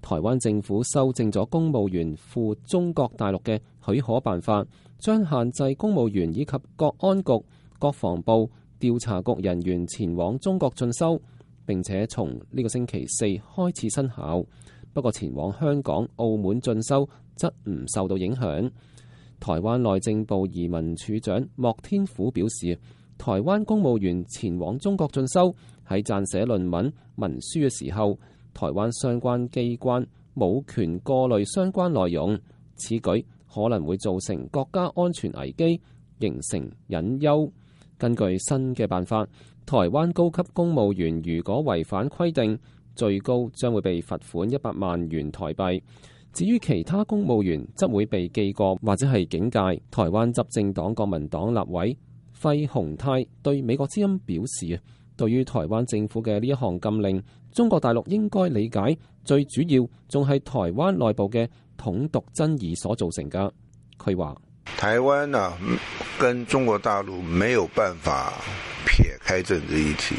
台灣政府修正咗公務員赴中國大陸嘅許可辦法，將限制公務員以及國安局、國防部、調查局人員前往中國進修，並且從呢個星期四開始生效。不過前往香港、澳門進修則唔受到影響。台灣內政部移民署長莫天虎表示，台灣公務員前往中國進修喺撰寫論文、文書嘅時候，台灣相關機關冇權過濾相關內容，此舉可能會造成國家安全危機，形成隱憂。根據新嘅辦法，台灣高級公務員如果違反規定，最高將會被罰款100萬元台幣。至於其他公務員，則會被記過或者係警戒。台灣執政黨國民黨立委費鴻泰對美國之音表示，對於台灣政府嘅呢一項禁令，中國大陸應該理解，最主要仲係台灣內部嘅統獨爭議所造成㗎。佢話：台灣啊，跟中國大陸沒有辦法撇開政治議題。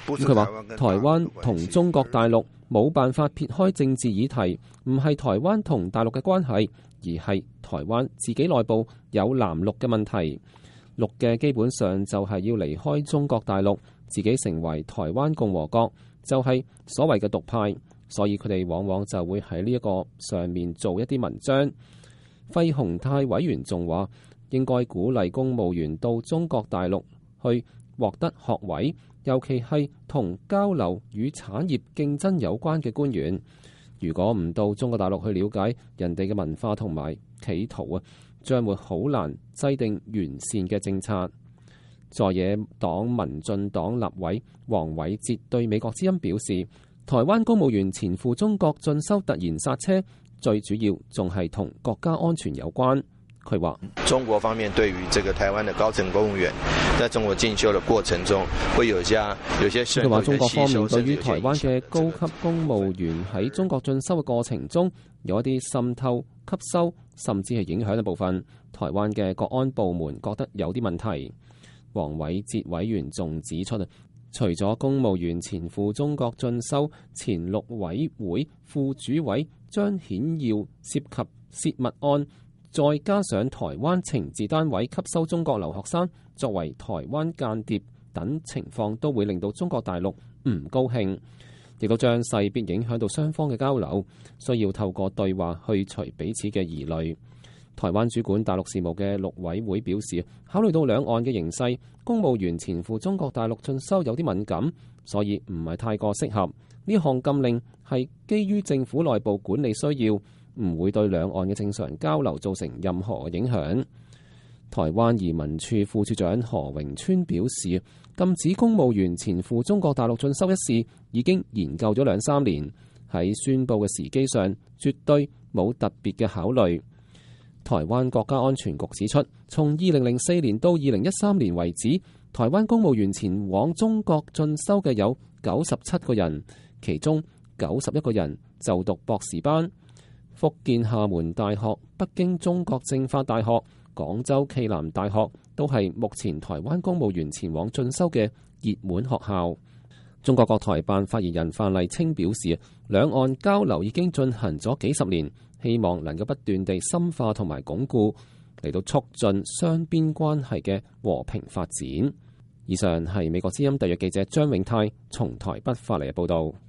佢話台灣同中國大陸冇辦法撇開政治議題，唔係台灣同大陸嘅關係，而係台灣自己內部有藍綠嘅問題。綠嘅基本上就係要離開中國大陸，自己成為台灣共和國，就係所謂嘅獨派，所以佢哋往往就會喺呢一個上面做一啲文章。費鴻泰委員仲話，應該鼓勵公務員到中國大陸去獲得學位，尤其係同交流與產業競爭有關嘅官員。如果唔到中國大陸去了解人哋嘅文化同埋企圖啊，將會好難制定完善嘅政策。在野黨民進黨立委黃偉哲對美國之音表示，台灣公務員前赴中國進修突然剎車，最主要仲係同國家安全有關。佢話：中國方面對於這個台灣的高層公務員在中國進修的過程中，會有些佢話中國方面對於台灣嘅高級公務員喺中國進修嘅過程中，有一啲滲透、吸收，甚至係影響嘅部分。台灣嘅國安部門覺得有啲問題。黃偉哲委員仲指出，除咗公務員前赴中國進修，前陸委會副主委張顯耀涉及泄密案，再加上台灣情治單位吸收中國留學生作為台灣間諜等情況，都會令到中國大陸唔高興，亦都將勢必影響到雙方嘅交流，需要透過對話去除彼此嘅疑慮。台灣主管大陸事務嘅陸委會表示，考慮到兩岸嘅形勢，公務員前赴中國大陸進修有啲敏感，所以唔係太過適合。呢項禁令係基於政府內部管理需要，唔會對兩岸嘅正常交流造成任何影響。台灣移民處副處長何榮川表示，禁止公務員前赴中國大陸進修一事已經研究咗2-3年，喺宣佈嘅時機上絕對冇特別嘅考慮。台灣國家安全局指出，從2004年到2013年為止，台灣公務員前往中國進修嘅有97個人，其中91個人就讀博士班。福建廈門大學、北京中國政法大學、廣州暨南大學都係目前台灣公務員前往進修嘅熱門學校。中國國台辦發言人范麗清表示，兩岸交流已經進行咗幾十年，希望能夠不斷地深化同埋鞏固，嚟到促進雙邊關係嘅和平發展。以上係美國之音特約記者張永泰從台北發嚟嘅報導。